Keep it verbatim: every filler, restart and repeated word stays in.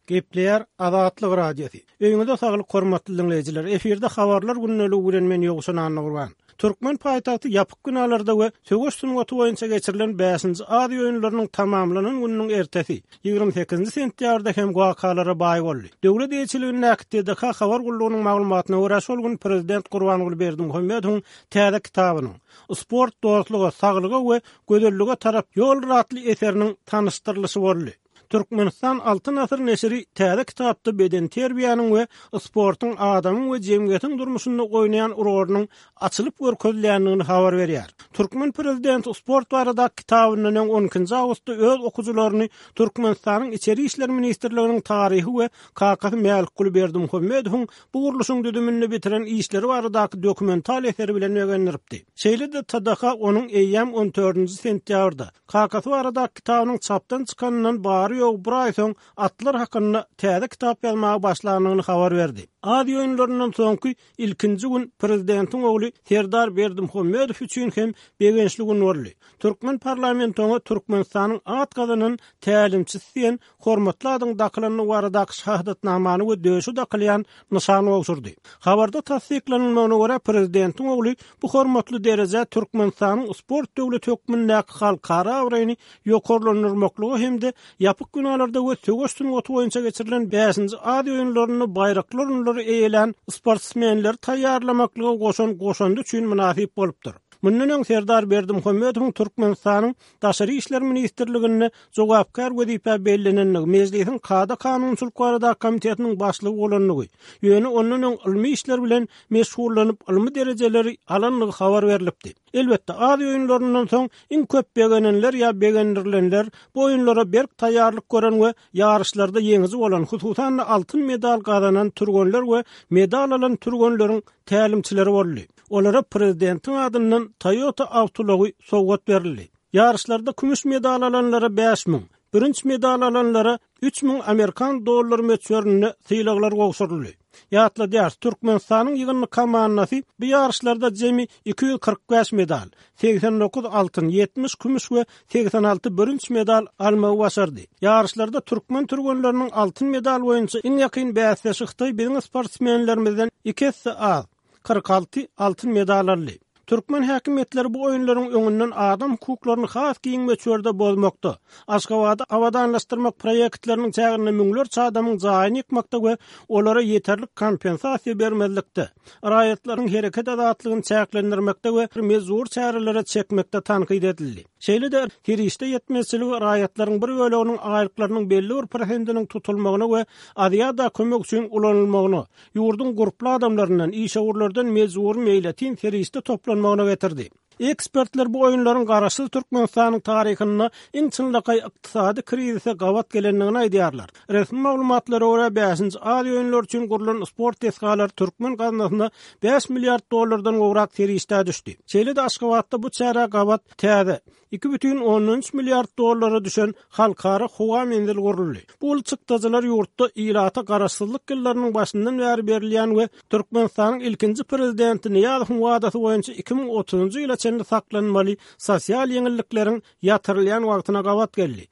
Gepleýär Azatlyk Radiosy. Öýüňize saglyk hormatly dinleýjiler. Efirde habarlar gündeligi bilen men Ýowşan Annagurban. Türkmen paýtagty ýapyk binalarda we söweş sungaty boýunça geçirilen bäşinji Aziýa oýunlarynyň tamamlanan gününiň ertesi ýigrimi sekizinji sentýabrda hem wakalara baý boldy. Döwlet eýeçiligindäki T D K habar gullugynyň maglumatyna görä şol gün prezident Gurbanguly Berdimuhamedowyň täze kitabynyň Sport dostluga, saglyga we gözellige tarap ýol atly eseriniň tanyşdyrylyşy boldy. Türkmenistan Altyn Asyr neşiri täze kitapda beden terbiýäniň we sportuň adamyň we jemgyýetiň durmuşynda oýnaýan rolunyň açylyp görkezilýändigini habar berýär. Türkmen prezidenti sport barada kitabyndan öň on ikinji awgustda öz okujylaryny Türkmenistanyň Içeri İşler Ministrliginiň taryhy we kakasy Mälikguly Berdimuhamedowyň bu gurluşyň düzüminde bitiren işleri baradaky dokumental eseri bilen begendiripdi. Şeýle-de T D H onuň eýýäm on dördünji sentýabrda kakasy baradaky kitabynyň çapdan çykanyndan bary ýok bir aý soň atlar hakynda täze kitap ýazmaga başlandygyny habar berdi. Aziýa oýunlaryndan soňky ilkinji gün prezidentiň ogly Serdar Berdimuhamedow üçin hem begençli gün boldy. Türkmen parlamenti oňa Türkmenistanyň at gazanan tälimçisi diýen hormatly adyň dakylandygy baradaky şahadatnamany we döşe dakylýan nyşany gowşurdy. Habarda tassyklanylmagyna görä prezidentiň ogly bu hormatly dereje Türkmenistanyň sport döwleti hökmündäki halkara abraýyny ýokarlandyrmaklygy hem-de ýapyk binalarda we söweş sungaty boýunça geçirilen bäşinji Aziýa oýunlarynda baýraklar orunlary eýelän sportsmenleri taýýarlamaklyga goşan goşandy üçin mynasyp bolupdyr. Mundan öň Serdar Berdimuhamedowyň Türkmenistanyň Daşary İşler Ministrliginde jogapkär wezipe bellenenligi, Mejlisiň kada kanunçylyk baradaky komitetiniň başlygy bolanlygy, ýöne ondan öň ylmy işler bilen meşgullanyp ylmy derejeleri alanlygy habar berilipdi. Elbetde Aziýa oýunlaryndan soň iň köp begenenler ýa begendirilenler bu oýunlara berk taýýarlyk gören we ýaryşlarda ýeňiji bolan, hususan-da altyn medal gazanan türgenler we medal alan türgenleriň tälimçileri boldy. Olara prezidentiň adyndan Toyota awtoulagy sowgat berildi. Ýaryşlarda kümüş medal alanlara bäş müň, bürünç medal alanlara üç müň Amerikan dollary möçberinde sylaglar gowşuryldy. Ýatladýar, Türkmenistanyň ýygyndy komandasy bu ýaryşlarda jemi iki ýüz kyrk bäş medal, segsen dokuz altyn, ýetmiş kümüş we segsen alty bürünç medal almagy başardy. Ýaryşlarda türkmen türgenleriniň altyn medal boýunça iň ýakyn bäsdeşi Hytaý biziň sportsmenlerimizden iki esse az, kyrk alty altyn medal aldy. Türkmen häkimiýetleri bu oýunlaryň öňünden adam hukuklaryny has giň möçberde bozmakda, Aşgabady abadanlaşdyrmak proýektleriniň çäginde müňlerçe adamyň jaýyny ýykmakda we olara ýeterlik kompensasiýa bermezlikde, raýatlaryň hereket azatlygyny çäklendirmekde we mejbur çärelere çekmekde tankyt edildi. Şeýle-de serişde ýetmezçiligi raýatlaryň bir böleginiň aýlyklarynyň belli bir prosentiniň tutulmagyna we Aziýada kömek üçin ulanylmagyna, ýurduň gurply adamlaryndan, işewürlerden mejbur meýletin serişde toplanmagyna getirdi. Ekspertler bu oýunlaryň garaşsyz Türkmenistanyň taryhynda iň çynlakaý ykdysady krizise gabat gelendigini aýdýarlar. Resmi maglumatlara görä bäşinji Aziýa oýunlary üçin gurlan sport desgalary türkmen gaznasyna bäş milliard dollardan gowrak serişde düşdi. Şeýle-de Aşgabatda bu çärä gabat täze iki bütin ondan üç milliard dollara düşen halkara howa menzili guruldy. Bu uly çykdajylar ýurtda ilata garaşsyzlyk ýyllarynyň başyndan bäri berilýän we Türkmenistanyň ilkinji prezidenti Nyýazowyň wadasy boýunça iki müň otuzunjy ýyla çenli saklanmaly sosial ýeňillikleriň ýatyrylýan wagtyna gabat geldi.